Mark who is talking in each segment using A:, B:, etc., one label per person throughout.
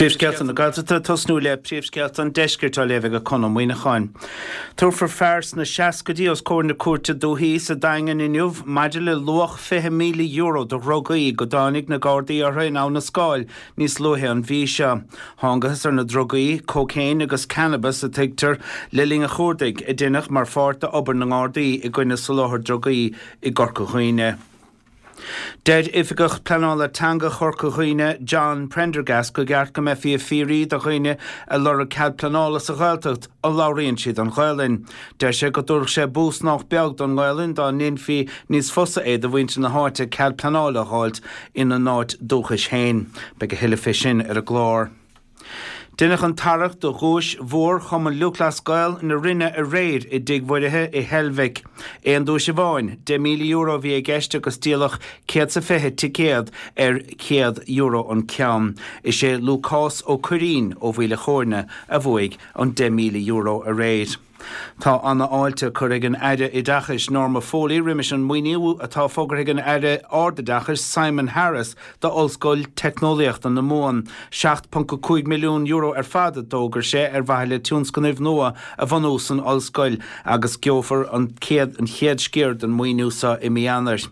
A: Príomhscéalta na Gaeltachta ag tosnú le príomhscéalta an deiscirt á léamh ag Conn Ó Muíneacháin. Tabharfar fear sna seascaidí os comhair na cúirte dúichí sa Daingean inniu maidir le luach €20,000 de dhrugaí go dtáinig na Gardaí orthu in Abha na Scáil níos luaithe an mhí seo. Thángathas ar na drugaí, cócaon agus cannabas a tuigtear, le linn an chuardaigh, a deineadh mar pháirt d'obair na nGardaí i gcoinne soláthar drugaí i gCorca Dhuibhne. Deir Oifigeach Pleanála Teanga Chorca Dhuibhne, John Prendergast, gur cheart go mbeifí ag fiafraí de dhaoine ag lorg cead pleanála sa Ghaeltacht an labhraíonn siad an Ghaelainn. Deir sé go dtabharfadh sé bús nách beag don nGaelainn dá ndéanfaí níos fusa é do mhuintir na háite cead pleanála a dh'fháilt ina n-áit dúchais féin. Beidh a thuilleadh fé sin ar an gclár. Deineadh an tarrac do dhuais mhór Chumann Lúthchleas Gael na Rinne aréir i dTigh Mhuirithe i Heilbhic. Aon duais amháin, €10,000 a bhí i gceist agus díoladh 120 ticéad ar €100 an ceann. Is é Lúcás Ó Cuirrín ó Mhaoil a' Chóirne a bhuaigh an €10,000 aréir. Tá ana-fháilte curtha ag an Aire Oideachais Norma Foley roimis an maoiniú atá fógartha ag an Aire Ardoideachais Simon Harris do Ollscoil Teicneolaíochta na Mumhan. €7.5 milliún ar fad a d'fhógair sé ar mhaithe le tionscnaimh nua a bhunú san ollscoil agus gheofar an chéad sciar den mhaoiniú seo i mí Eanáir.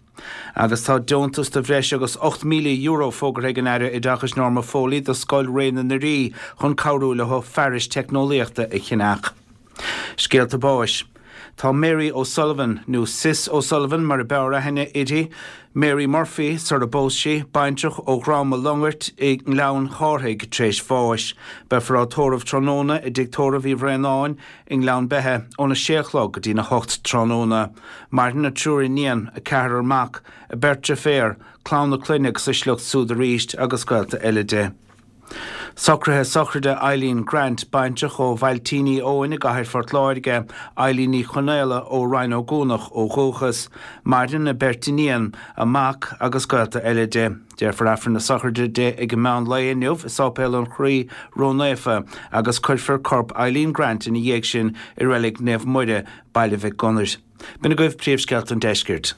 A: Agus tá deontas de bhreis agus €8,000 fógartha ag an Aire Oideachais Norma Foley do Scoil Ré na nDoirí chun cabhrú leo fearais teicneolaíochta a cheannach. Scéalta báis. Tá Mary O'Sullivan, nó Sis O'Sullivan mar a b'fhearr aithne uirthi, Mary Murphy sar a bpós sí, baintreach ó Dhrom a' Longairt i nGleann Chárthaigh, tar éis bháis. Beifear á tórramh tráthnóna i dTigh Tórraimh Uí Bhraonáin i nGleann Beithe óna sé a chlog go dtína hocht tráthnóna. Maireann a triúr iníon, a ceathrar mac, a beirt deirféar, clann a clainne agus a sliocht súd arís agus gaolta eile di. Socruithe sochraide Eileen Grant, baintreach ó Bhailtíní Eoin i gCathair Phort Láirge, Eileen Ní Chonaola ó Rinn Ó gCuanach ó dhúchas. Maireann a beirt iníon, a mac agus gaolta eile di. Déarfar Aifreann na sochraide di ag an meán lae inniu i Sáipéal an Chroí Ró-Naofa agus cuirfear corp Eileen Grant ina dhiaidh sin i Reilig Naomh Muire, Baile Mhic Gonair. B'in agaibh príomhscéalta an deiscirt.